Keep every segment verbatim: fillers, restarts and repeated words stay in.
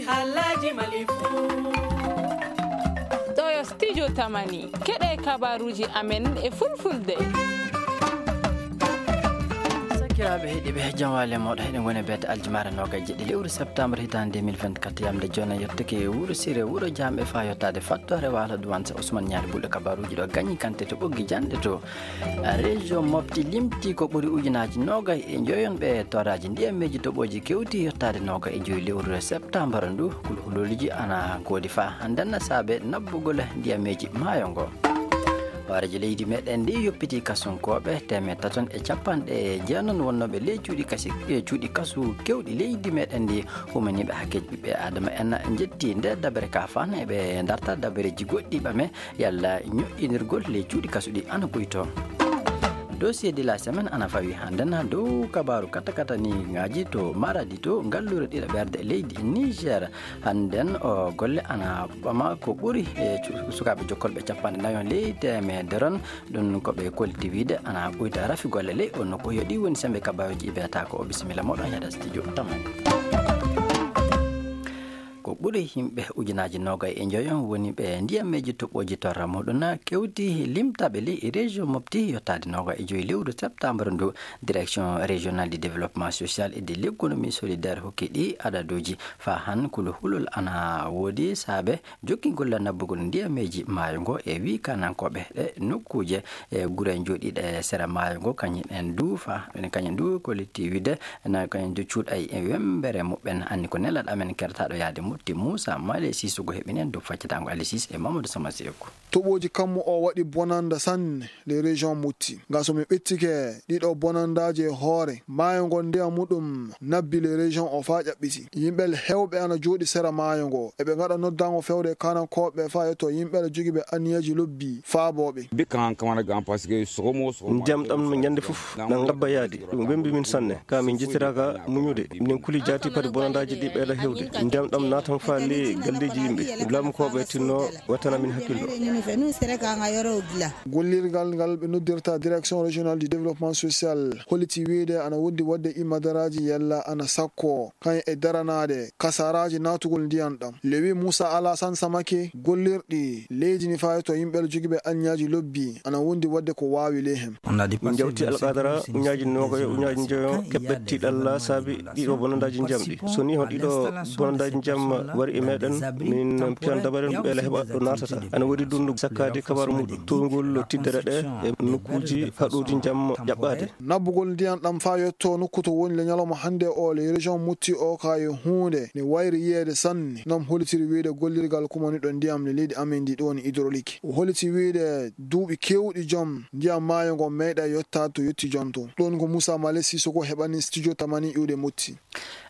Alhaji Malifu. Ɗo yo studio Tamani. Keɗe kabaruji amen e fulfulde. Sakiraaɓe heɗiiɓe, jam waale mooɗon. Heɗen ngoni e beete aljumare noogaye e jeɗɗi lewru septembre hitaande deux mille vingt-quatre, yamde jooni yettake wuro Sire, wuro Jaam e faa yottaade fattoore waalo duwansa Ousmane Ñaari Bulɗo kabaruji ɗo gañi kante to ɓoggi janɗe to. Région Mopti limti ko ɓuri ujunaaji noogay e njoyon ɓe torraaji ndiyameeji toɓooji kewti yottaade noogay e joyi lewru septembre ndu. Kulhulolji ana ngoodi faa hannde na saabe nabbugol ndiyameeji maayo ngo. Hooreejo leydi meɗen ndi yoppiti kasunkooɓe teemeɗɗe taton e capanɗe jeenon wonnooɓe ley cuuɗi kasi, e cuuɗi kasu kewɗi leydi meɗen ndi, humaniiɓe hakkeeji ɓiɓɓe Adama en njetti nde dabere ka faan e ɓe darta dabareeji goɗɗi ɓame yalla ñoƴƴinirgol ley cuuɗi kasu ɗi ana ɓuyto. Dossier de la semaine ana fawi hannde na dow kabaaru katakataniŋaaji to Maradi to ngalluure ɗiɗaɓerde leydi Niger. Hannden o golle ana ɓama ko ɓuri e cu-, sukaaɓe jokkolɓe capanɗe nayo ley teemedere on. Ɗum ko ɓe kolti wiide ana ɓuyta rafi golle ley o nokku. Yo ɗi woni sembe kabaaruji ɗi mbiyata ko o bisimilla mooɗon heɗa studio Tamani. Ko ɓuri yimɓe ujunaaji noogay e njoyo woni ɓe ndiyameeji toɓooji torra muɗum kewti limtaɓe ley région Mopti yottaade noogay e joyi lewru septembre ndu. Direction régionale du développement social et de l'économie solidaire hokki ɗi adaduji. Faa han kulu hulol ana woodi saabe jokkingol nabbugol ndiyameeji maayo ngo e wii kanankooɓe ɗe nokkuuje e gure jooɗiiɗe sera maayo ngo, kañum en du fa-, kañum du ko litti wiide na kañum du cuuɗay e wembere muɓɓen. Anni ko nelaɗo amen kertaɗo yaade Mopti Moussa Male Sissoko heɓini en dow faccitaango Ali Cissé e Mamadou Sama Seeku. Toɓooji kammu o waɗi bonanda sanne le région Mopti. Nga so mi ɓettike ɗiɗo bonandaaji e hoore, maayo ngon ndiyam muɗum nabbi le région o faa ƴaɓɓiti. Yimɓe heewɓe ana jooɗi sera maayo ngo. Eɓe ngaɗa noddaango fewde e kanankooɓe faa yetto yimɓe jogiiɓe anniyeeji lobbi faabooɓe. Ndiyam ɗam no ñande fof na ngabba yaade. Ɗum wembi min sanne. Ka min njettiraaka muñude. Min kuli jaati pati bonandaaji ɗi ɓeyda heewde. Ndiyam ɗam naatan faa ley galleeji yimɓe. Laamukooɓe tinno wattana min hakkillo. Gollirgal ngal ɓe noddirta Direction Régionale du Développement Social holliti wiide ana wondi waɗde imadaraaji yalla ana sakko kañ e daranaade kasaraaji naatugol ndiyam ɗam. Lewi Moussa Alassane Samake, gollirɗi leydi ni faa to yimɓe jogiiɓe anniyeeji lobbi ana wondi waɗde ko waawi ley hen. Min njawti alqadara uñaaji noogay, uñaaji njoyo keɓɓe tiiɗalla saabi ɗiɗo bonandaaji ndiyam ɗi. So ni hon ɗiɗo bonandaaji ndiyam wari e meɗen, min piyan dabare ɓeela heɓa ɗo naatata. Ana woodi dundu sakkaade kabaru muɗum, towngol tiddere ɗe e nokkuuji haɗuuji ndiyam ƴaɓɓaade. Nabbugol ndiyam ɗam faa yetto nokku to woni le ñalawma hannde o le région Mopti o ka e huunde ne wayri yiyeede sanne. Nam hollitiri wiide gollirgal kumaniɗo ndiyam le leydi amen ndi ɗo woni hydraulique. O holliti wiide duuɓi keewɗi jom ndiyam maayo ngo meeɗa yottaade to yetti jom to. Ɗon ko Moussa Male Sissoko heɓani studio Tamani iwde Mopti.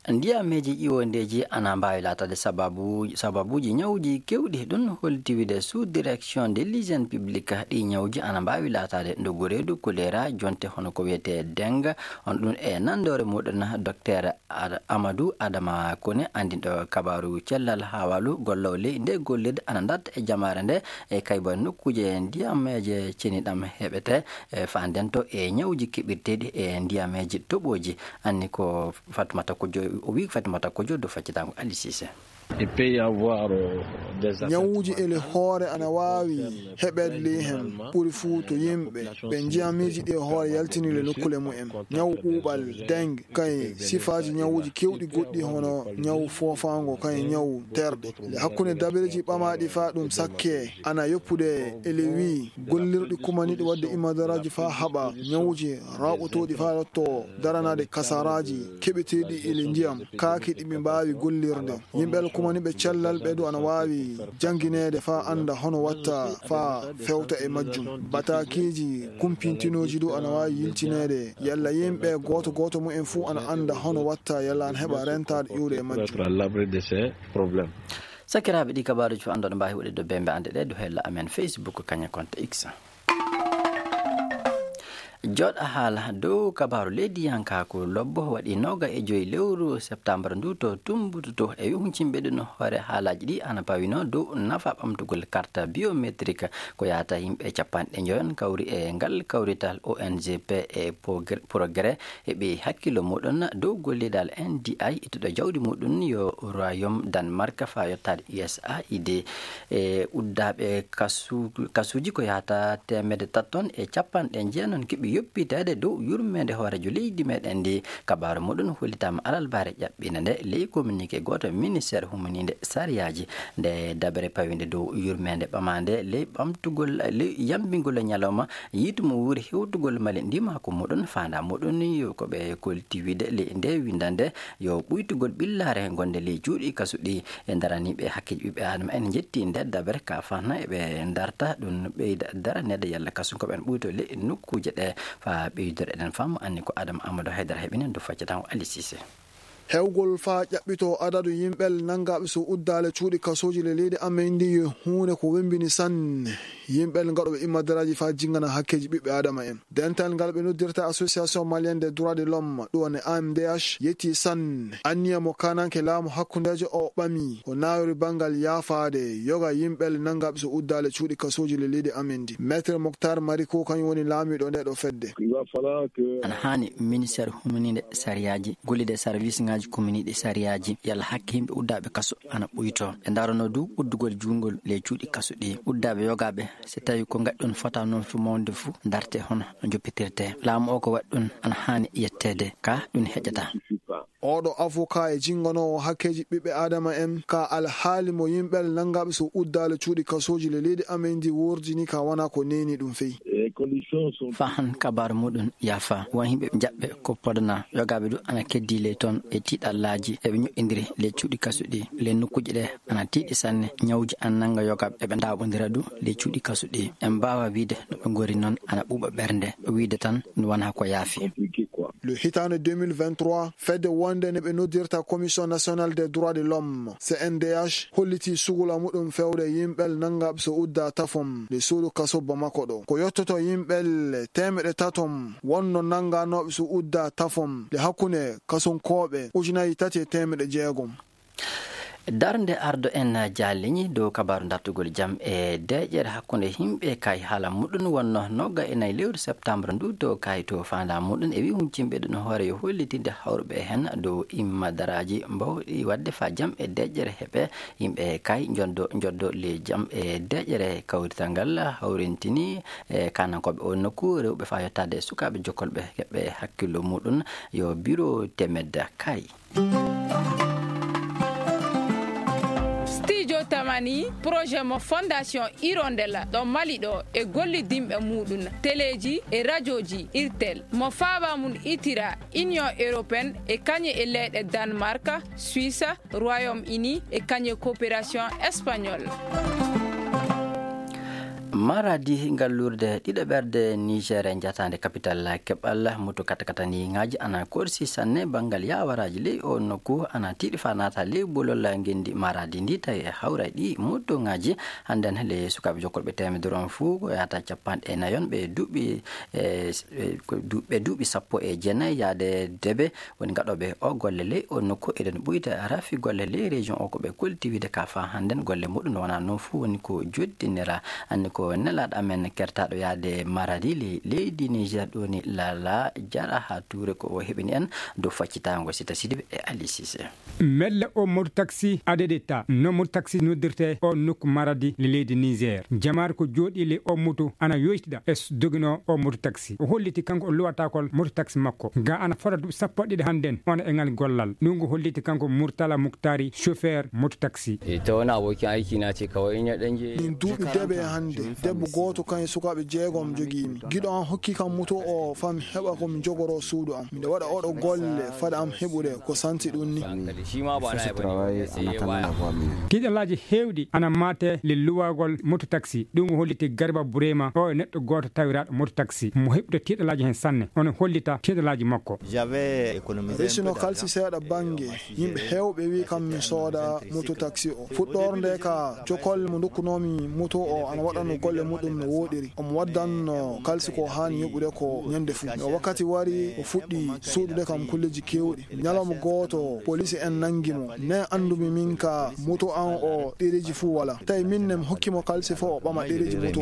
Ndiyameeji ƴiwondeeji ana mbaawi laataade sababu, sababuuji ñawuuji keewɗi. Ɗum holti wiide sous direction de l'hygiène publique ɗi ñawuuji ana mbaawi laataade ndogu reedu, kolera, jonte hono ko wiyetee dengue. On ɗum e nandoore muɗum docteur Ad-, Amadou Adama Kone, anndinɗo kabaaru cellal haawalu gollowo ley nde gollirde ana darta e jamaare nde e kayba nokkuuje ndiyameeje ceniɗam heɓete e faandento e ñawuuji keɓirteeɗi e ndiyameeje toɓooji. Anni ko Fatoumata Kojo, o wii Fatoumata Kojo dow faccitaango Ali Cissé. Il peut y avoir, euh, des affects. Ñawuuji ele hoore ana waawi heɓeede ley heen, ɓuri fuu to yimɓe ɓe ndiyameeji ɗi e hoore yaltini le nokkule mumen. Ñawu ɓuuɓal, dengue, kay sifaaji ñawuuji keewɗi goɗɗi hono ñawu foofaango, kay ñawu terɗe. Le hakkunde dabareeji ɓamaaɗi faa ɗum sakke ana yoppude ele wii gollirɗi kumaniiɗi waɗde imadaraaji faa haɓa ñawuuji rawɓotooɗi faa yotto daranaade kasaraaji keɓeteeɗi ele ndiyam kaaki ɗi ɓe mbaawi gollirde. Yimɓe alkumani ɓe cellal ɓe du ana waawi janngineede faa annda hono watta faa fewta e majjum. Bataakiiji kumpintinooji du ana waawi yiltineede yalla yimɓe gooto gooto mumen fuu ana annda hono watta yalla ana heɓa rentaade iwde e majjum. Être à l'abri de ces problèmes. Sakiraaɓe, ɗi kabaaruuji fof annduɗo mbaawi waɗde dow bembe annde ɗe dow hella amen Facebook kaña compte X. Jooɗa haala dow kabaaru leydiyankaaku lobbo waɗi nooga e joyi lewru septembre ndu to Tumbutu to e huncimɓe ɗum hoore haalaaji ɗi ana pawino dow nafa ɓamtugol carte biométrique ko yahata yimɓe capanɗe njoyon kawri e ngal kawrital O N G P e Progrès e ɓe hakkillo muɗum dow gollidal N D I ittuɗo jawdi muɗum yo Royaume Danemark faa yottaade U S A I D. E uddaaɓe kasu-, kasuuji ko yahata teemedde tati ton e capanɗe jeenon keɓi yoppiteede dow yurmeende hooreejo leydi meɗen ndi. Kabaaru muɗum hollitaama alarba ɓiɓɓe nde ley communiqué gooto ministeer humaniinde sariyaaji. Nde dabere pawiinde dow yurmeende ɓamaande ley ɓamtugol, ley yambingol ñalawma yiitu mo wuuri hewtugol mali ndimaaku muɗum, faandaa muɗum yo ko ɓe kolti wiide ley nde winndannde yo ɓuytugol ɓillaare gonde ley cuuɗi kasuɗi e daraniiɓe hakkeeji ɓiɓɓe aadama en njetti nder dabere ka fahna e ɓe darta ɗum ɓeyda daraneede yalla kasu ko ɓen ɓuyto ley nokkuuje ɗe. Faa ɓeydore eɗen faamu anni ko Adama Amadou Haydara heɓinen dow faccataa o Ali Cissé. Hewgol faa ƴaɓɓito adadu yimɓe nanngaaɓe so uddaale cuuɗi kasooji le leydi amen ndi yo huunde ko wembini sanne. Yimɓe ngaɗooɓe immadaraaji faa jinngana hakkeeji ɓiɓɓe aadama en. Dental ngal ɓe noddirta Association Malienne des Droits de l'Homme, ɗum woni A M D H, yetti sanne anniya mo kaananke laamu hakkundeejo o ɓami, o naawiri banngal yaafaade yoga yimɓe nanngaaɓe so uddaale cuuɗi kasooji le leydi amen ndi. Maître Moctar Mariko kañum woni laamiiɗo nde ɗo fedde. Il va falloir que Ana haani ministeer humaniinde sariyaaji, gollide service ngaaji kominiiɗi sariyaaji, yalla hakke yimɓe uddaaɓe kaso ana ɓuyto. Ɓe ndarono du uddugol juungol ley cuuɗi kaso ɗi. Uddaaɓe yogaaɓe, so tawi ko ngaɗi ɗum fota noon fu mawde fu, darte hono no joppitirte. Laamu o ko waɗi ɗum ana haani yetteede, ka ɗum heƴata. Oɗo avocat e jinganoowo hakkeeji ɓiɓɓe aadama en, ka alhaali mo yimɓe nanngaaɓe so uddaale cuuɗi kasooji le leydi amen ndi wordini ka wona ko neeni ɗum fey. Faa han kabaaru muɗum yaafa, won yimɓe jaɓɓe ko podana, yogaaɓe du ana keddi ley toon e tiiɗallaaji, eɓe ñoƴƴindiri ley cuuɗi kasuɗi, ley nokkuuji ɗe ana tiiɗi sanne, ñawuuji ana nannga yogaaɓe, eɓe ndaaɓondira du ley cuuɗi kasuɗi. En mbaawa wiide no ɓe ngori noon ana ɓuuɓa ɓernde, wiide tan no wona ko yaafi. Le hitaande deux mille vingt-trois, fedde wonde nde ɓe noddirta Commission Nationale des Droits de l'Homme, C N D H, holliti sugula muɗum fewde yimɓe nanngaaɓe so udda tafom le suudu kaso Bamako ɗo. Ko yottoto yimɓe teemeɗe tatom wonno nannganooɓe so udda tafom le hakkunde kasunkooɓe ujunaaji tati e teemeɗe jeegom. Darnde ardo en jaalliñi dow kabaaru dartugol jam e deeƴere hakkunde yimɓe kay haala muɗum wonno nogga e nayi lewru septembre ndu to kay to faandaa muɗum e wi huncinɓe ɗum hoore yo hollitinde hawruɓe heen dow immadaraaji mbawɗi waɗde faa jam e deeƴere heɓe yimɓe kay njoddo, njoddo le jam e deeƴere kawrital ngal hawrintini e kaanankooɓe o nokku rewɓe faa yottaade sukaaɓe jokkolɓe heɓɓe hakkillo muɗum yo biro temed kay. Studio Tamani, projet mo Fondation Hirondelle ɗo Mali ɗo e gollidinɓe muɗum, teleeji e rajooji Irtel, mo faaba mum itira Union Européenne e kañe e leyɗe Danemark, Suisse, Royaume-Uni e kañe coopération espagnol. Maradi, ngallurde ɗiɗaɓerde Niger, njataande kapital keɓal moto katakataniŋaaji ana korsi sanne banngal yaawaraaji ley o nokku ana tiiɗi faa naata ley bolol ngenndi Maradi ndi tawi e hawray ɗi motoŋaaji hannden ley sukaaɓe jokkolɓe teemedere on fuu ko yahata capanɗe nayon ɓe duuɓi e, e, ko du-, ɓe duuɓi sappo e jeenayi yaade debe woni gaɗooɓe o golle ley o nokku. Eɗen ɓuyta rafi golle ley région o ko ɓe kolti wiide ka faa hannden golle muɗum wonaa noon fuu woni ko joddinira. Anndi ko nelaaɗo amen kertaaɗo yaade Maradi ley leydi Niger ɗo ni Lala Jara haa Tuure ko o heɓini en dow faccitaango Sita Sidibe e Ali Cissé. Melle o moto taxi adedeta no moto taxi noddirte o nokku Maradi le leydi Niger. Jamaare ko jooɗi le o moto ana yoytida e s-, dogino o moto taxi. O holliti kanko o luwatakol moto taxi makko. Ga ana fota duuɓi sappo e ɗiɗi hannden, ona e ngal gollal. Ɗum ko holliti kanko Murtala Muktari, chauffeur moto taxi. Ita wani abokin aiki na ce kawai in ya ɗan je. Min duuɓi debe hannde, debbo gooto kan e sukaaɓe jeegom jogii mi. Giɗo an hokki kam moto o faa mi heɓa ko mi jogoroo suudu am. Miɗo waɗa oɗo golle fada am heɓude ko santi ɗum ni. Shi ma ba na ya bane. Tiiɗalaaji heewɗi ana maate le luwagol moto taxi. Ɗum ko holliti Garba Burema, o e neɗɗo gooto tawiraaɗo moto taxi. Mo heɓude tiiɗalaaji heen sanne, ono hollita tiiɗalaaji makko. Resino kalsi seeɗa bannge, yimɓe heewɓe wi kam mi sooda moto taxi o. Fuɗɗoorde ka, jokolle mo ndokkunoomi moto o ana waɗano Golle muɗum no wooɗiri. Omo waddanno kalsi ko haani yoɓude ko ñande fuu. Yo wakkati wari, o fuɗɗi suuɗude kam kulleeji keewɗi. Ñalawma gooto, poliisi en nanngi mo. Ne anndumi min ka moto an o ɗereeji fuu walaa. Tawi min ne mi hokki mo kalsi fof o ɓama ɗereeji moto.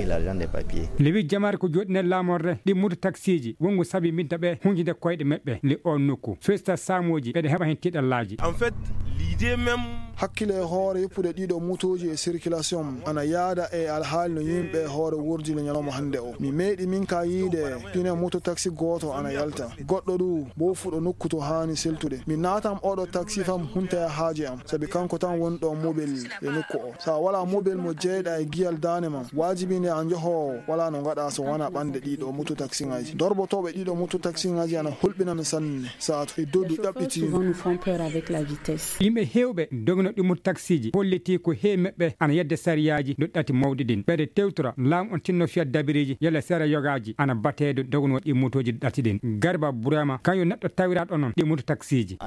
Lewi jamaare ko jooɗi nder laamorde ɗi moto taksiiji. Wonngo sabi midda ɓe huñjinde koyɗe maɓɓe le o nokku. Festa saamooji ɓeɗe heɓa heen tiiɗallaaji. En fait, l'idée même. Hakkile e hoore yoppude ɗiɗo motooji e circulation ana yaada e alhaali no yimɓe e hoore wurdi no ñalawma hannde o. Mi meeɗi min ka yiide pine moto taxi gooto ana yalta. Goɗɗo ɗu bo fuɗo nokku to haani seltude. Mi naatam oɗo taxi fam hunta e haaje am. Sabi kanko tan woni ɗo mobel e nokku o. Sa wala mobel mo jeyɗa e giyal daane ma, waajibi nde a njoho wala no ngaɗa so wona ɓande ɗiɗo moto taxi ngaji. Dorbotoɓe ɗiɗo moto taxi ngaji ana hulɓina mi sanne. Saatu e dodu ɗaɓɓiti. Souvent nous font peur avec la vitesse. Yimɓe heewɓe dogino ɗi moto taksiiji holliti ko heewi maɓɓe ana yedde sariyaaji doɗɗati mawɗi ɗin. Ɓeɗe tewtora laamu on tinno fiyat dabiriiji yalla sera yogaaji ana batee dognooɗo ɗi motooji ɗati ɗin. Garba Burama kañum neɗɗo tawiraɗo onon ɗi moto taksiiji.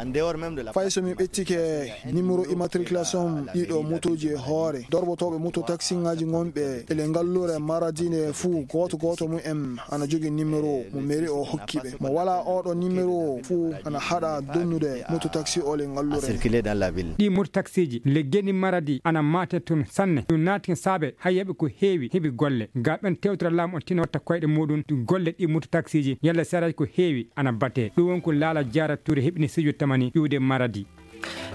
Fay so mi ɓeccike numéro immatriculation ɗiɗo motooji e hoore, dorbotoɓe moto taxi ngaji gonɓe ele ngallure Maradi nde fuu, gooto gooto mum en ana jogi numéro mo mairie o hokki ɓe. Mo wala oɗo numéro fuu ana haɗa donnude moto taxi o le ngallure. Circuler dans la ville. Ɗi moto taksiiji le geni Maradi ana mate tun sanne. Ɗum naati saabe hay heɓi ko heewi, heɓi golle. Ga ɓen tewtira laamu on tino watta koyɗe muɗum golle ɗi moto taksiiji yalla saraji ko heewi ana bate. Ɗum won ko Laala Jaara Tuure heɓini Sijo Tamani iwde Maradi.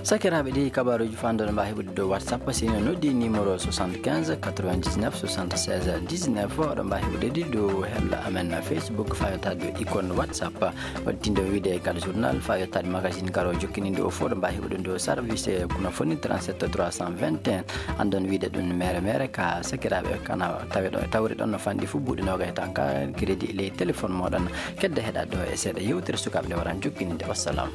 Sakiraaɓe, ɗi kabaruuji fanɗo ɗo mbaawi heɓude dow WhatsApp, si no noddi numéro soixante-quinze quatre-vingt-dix-neuf soixante-seize dix-neuf. Oɗo mbaawi heɓude ɗi dow hella amen Facebook, faa yottaade dow icône WhatsApp. Waɗtindo wiide gal journal, faa yottaade magazine garo jokkininde o fof, ɗo mbaawi heɓude dow service, eh, kono foni trente-sept trois cent vingt et un. Andon wiide ɗum mere mere ka sakiraaɓe kana tawe ɗo, tawri ɗon no fanɗi fof buuɗi noogay tan ka crédit ley téléphone moɗon. Kedde heɗa ɗo e seeɗa yewtere sukaaɓe nde waran jokkininde. Wassalam.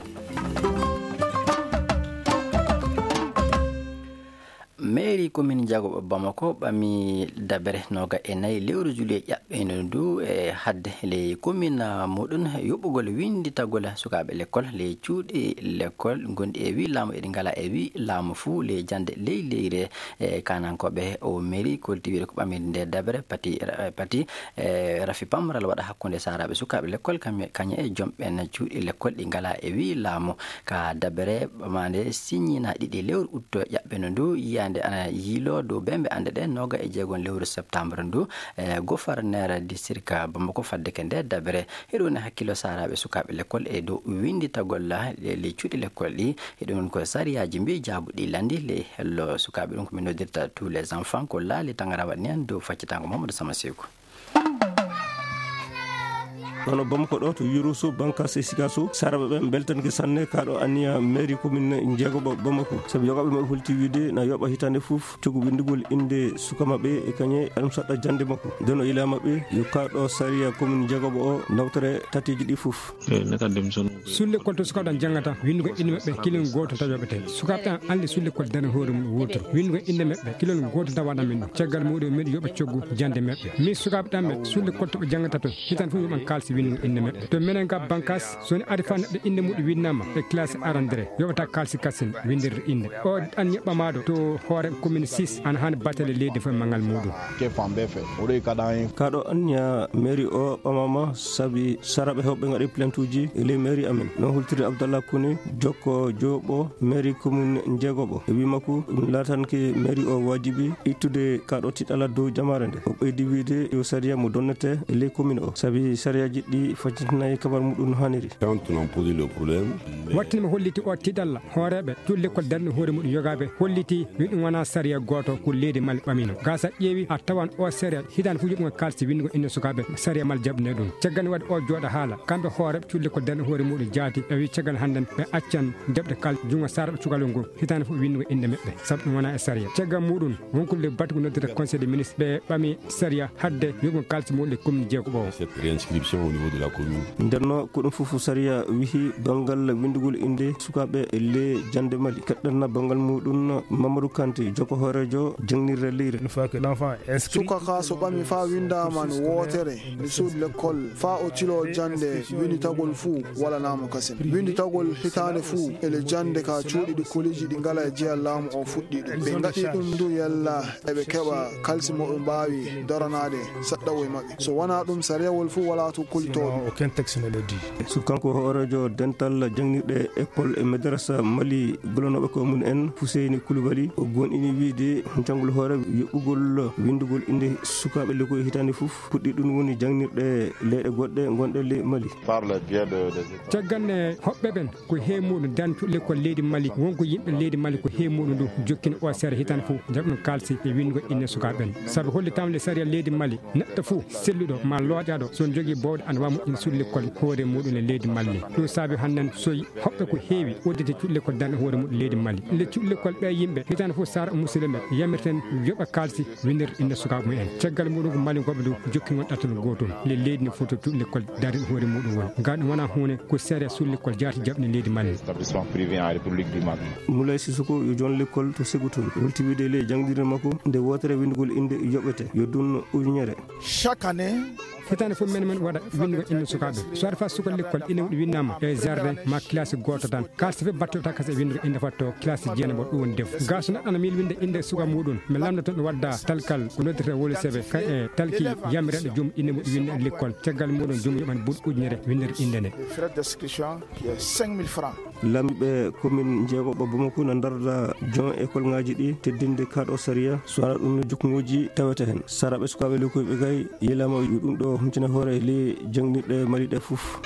Mairie commune Diagoɓo Bamako ɓami dabere nooga e nayi lewru juillet ƴaɓɓeende ndu e hadde ley commune muɗum yoɓugol winnditagol sukaaɓe lekkol ley cuuɗi lekkol gonɗi e wi laamu eɗi ngala e wi laamu fuu ley jannde ley leyre. E kaanankooɓe o mairie kolti wiide ko ɓamiri nde dabere pati, pati, e rafi pamral waɗa hakkunde saaraaɓe sukaaɓe lekkol kañe e jom ɓen cuuɗi lekkol ɗi ngala e wi laamu. Ka dabere ɓamaande siññina ɗiɗi lewru utto ƴaɓɓeno ndu, yiyaande ana yiiloo dow bembe annde ɗe nooga e jeegon lewru septembre ndu, e gouverneur district Bamako fadde ke nde dabere. Hiɗo woni hakkilo saaraaɓe sukaaɓe lekkol e dow winnditagol le cuuɗi lekkol ɗi. Hiɗo woni ko sariyaaji mbi jaabuɗi landi le hello sukaaɓe ɗum ko min noddirta tous les enfants ko laali tangara waɗni en dow faccitango Mamadou Sama Seku. Kono Bamako ɗo to Yurusu, Bankas e Sikasu, saraɓe ɓen beltanke sanne kaɗo anniya mairie commune jeegoɓo Bamako. Sabu yogaɓe maɓɓe holti wiide na yoɓa hitande fof cugu winndugol innde suka maɓɓe e kañe ɗum saɗɗa jannde makko. Nden o ila maɓɓe yo kaɗo sariya commune jeegoɓo o nawtore tateji ɗi fof. Sulle kol to sukaaɓe ɗan janngata, winndugo innde maɓɓe, kilin gooto tan yoɓete. Sukaaɓe ɗan anndi sulle kol darani hoore mum wotoro. Winndugo innde maɓɓe, kilon gooto tan waɗan min ɗum. Caggal muɗum, miɗo yoɓa coggu jannde maɓɓe. Min sukaaɓe ɗan ɓe, sulle kol to ɓe janngata to, hitan fof yoɓan kaalisi winndugo innde maɓɓe. To minen ga Bankas, so ni ari fa neɗɗo innde muɗum winnama e classe arandere, yoɓata kaalisi kasin winndirde innde. O ɗan yoɓɓamaɗo to hoore commune six, ana haani batale leydi fof e mangal muɗum. Kaɗo anniya mairie o ɓamama sabi saraɓe hewɓe ngaɗi plainte uji e ley mairie amen. No hultiri Abdallah Kone, jokko joɓo mairie commune jeegoɓo. E wi makko, ɗum laatanke mairie o waajibi ittude kaɗo tiɗala dow jamaare nde. O ɓeydi wiide yo sariya mo donnete e ley commune o, sabi sariyaji ɗi faccitinayi kabar muɗum no haniri. Quand on a posé le problème, wattinima holliti o tiɗalla. Hooreeɓe cuuɗi lekkol darni hoore muɗum yogaaɓe holliti wi ɗum wonaa sariya gooto ko leydi Mali ɓamino. Gasa ƴeewi a tawan o sariya hitaande fof yoɓugol kaalisi winndugo innde sukaaɓe sariya Mali jaɓnde ɗum. Caggal nde waɗi o jooɗa haala, kamɓe hooreeɓe cuuɗi lekkol darni hoore muɗum jaati ɓe wi caggal hannden ɓe accan jaɓde kaalisi junngo saaraaɓe cukalel ngol hitaande fof winndugo innde maɓɓe sabu ɗum wonaa e sariya. Caggal muɗum wonkude le batu ko noddata conseil des ministres ɓe ɓami sariya hadde yoɓugol kaalisi muɗum e commune jeegoɓo o. Cette réinscription Au niveau de la commune. Ndenno ko ɗum fof sariya wihi donngal winndugol innde sukaaɓe le jannde Mali. Keɗɗanna banngal muɗum Mamadou Kanté, jokko hooreejo jangnirde leyre. Une fois que l'enfant est inscrit, suka ka so ɓami faa winndaama no wootere, nde suudu lekkol faa o tiloo jannde winnditagol fuu walanaama kasen. Winnditagol hitaande fuu ele jannde ka cuuɗi ɗi koliji ɗi ngala e jeya laamu o fuɗɗi ɗum. Ɓe ngaɗi ɗum ndu yalla eɓe keɓa kalsi mo ɓe mbaawi daranaade saɗɗawo e maɓɓe. So wanaa ɗum, sariyawol fuu walaa to kolitooɗum. Non, aucun texte ne le dit. So kanko hooreejo dental jangnirɗe école e madrasa Mali, gollanooɓe ko mum en Fuseyni Kulubali, o gonɗini wiide janngol hoore yoɓɓugol winndugol innde sukaaɓe lekkoy hitaande fof. Puɗɗi ɗum woni jangnirɗe leyɗe goɗɗe ngonɗe le Mali. Par le biais de, des écoles. Caggal nde hoɓɓe ɓen ko he muɗum dan cuɗle ko leydi Mali, wonko yimɓe leydi Mali ko he muɗum ndu jokkini o sariya hitaande fof jaɓa ɗum kalsi e winndugol innde sukaaɓe ɓen. Sabu hollitaama le sariya leydi Mali, neɗɗo fof selluɗo ma looƴaaɗo so jogii bowɗe ana waawa moƴƴinde cuɗle lekkol hoore muɗum e leydi Mali. Ɗum saabi hannden so hoɓɓe ko heewi udditde cuɗle lekkol darnde hoore muɗum leydi Mali. Le cuɗle lekkol ɓe yimɓe hitaande fof sara musidɓe yamirten yoɓa kalsi winndirde innde sukaaɓe mumen. Caggal muɗum ko Mali goɓɓe dow jokkingol ɗatal gootum. Le leydi ne foti cuɗle lekkol darnde hoore muɗum woni. Ngal ɗum wona huunde ko sariya cuɗle lekkol jaati jaɓni leydi Mali. Établissement privé en République du Mali. Moulay Sissoko yo joon lekkol to Ségou Touré. Holti wiide le jangdirde makko nde wootere winndugol innde yoɓete yo dun ujunere. Chaque année, hitaande fof men men waɗa winndugol innde sukaaɓe. So aɗa faa sukol lekkol ina winndama e jardin ma classe gooto tan. Kalsi fof battota kasa e winndugol innde fatto classe jeenaɓo ɗum woni def. Gaa so neɗɗo ana miili winnde innde suka muɗum, mi lamndo toon ɗum wadda talkal ko noddete wolo sebe ka e talki yamireɗo joom innde muɗum winnde lekkol. Caggal muɗum joom yoɓan buuɗ ujunere winndirde innde nde. Le frais d'inscription qui est cinq mille francs. Laamiiɓe commune jeegoɓo Bamako na ndarda jon école ngaji ɗi teddinde kaɗo sariya, so wona ɗum no jukkuŋoji tawete hen. Saraɓe sukaaɓe lekkoyɓe kay yelama yo ɗum ɗo huncina hoore le jangnirɗe Mali ɗe fof.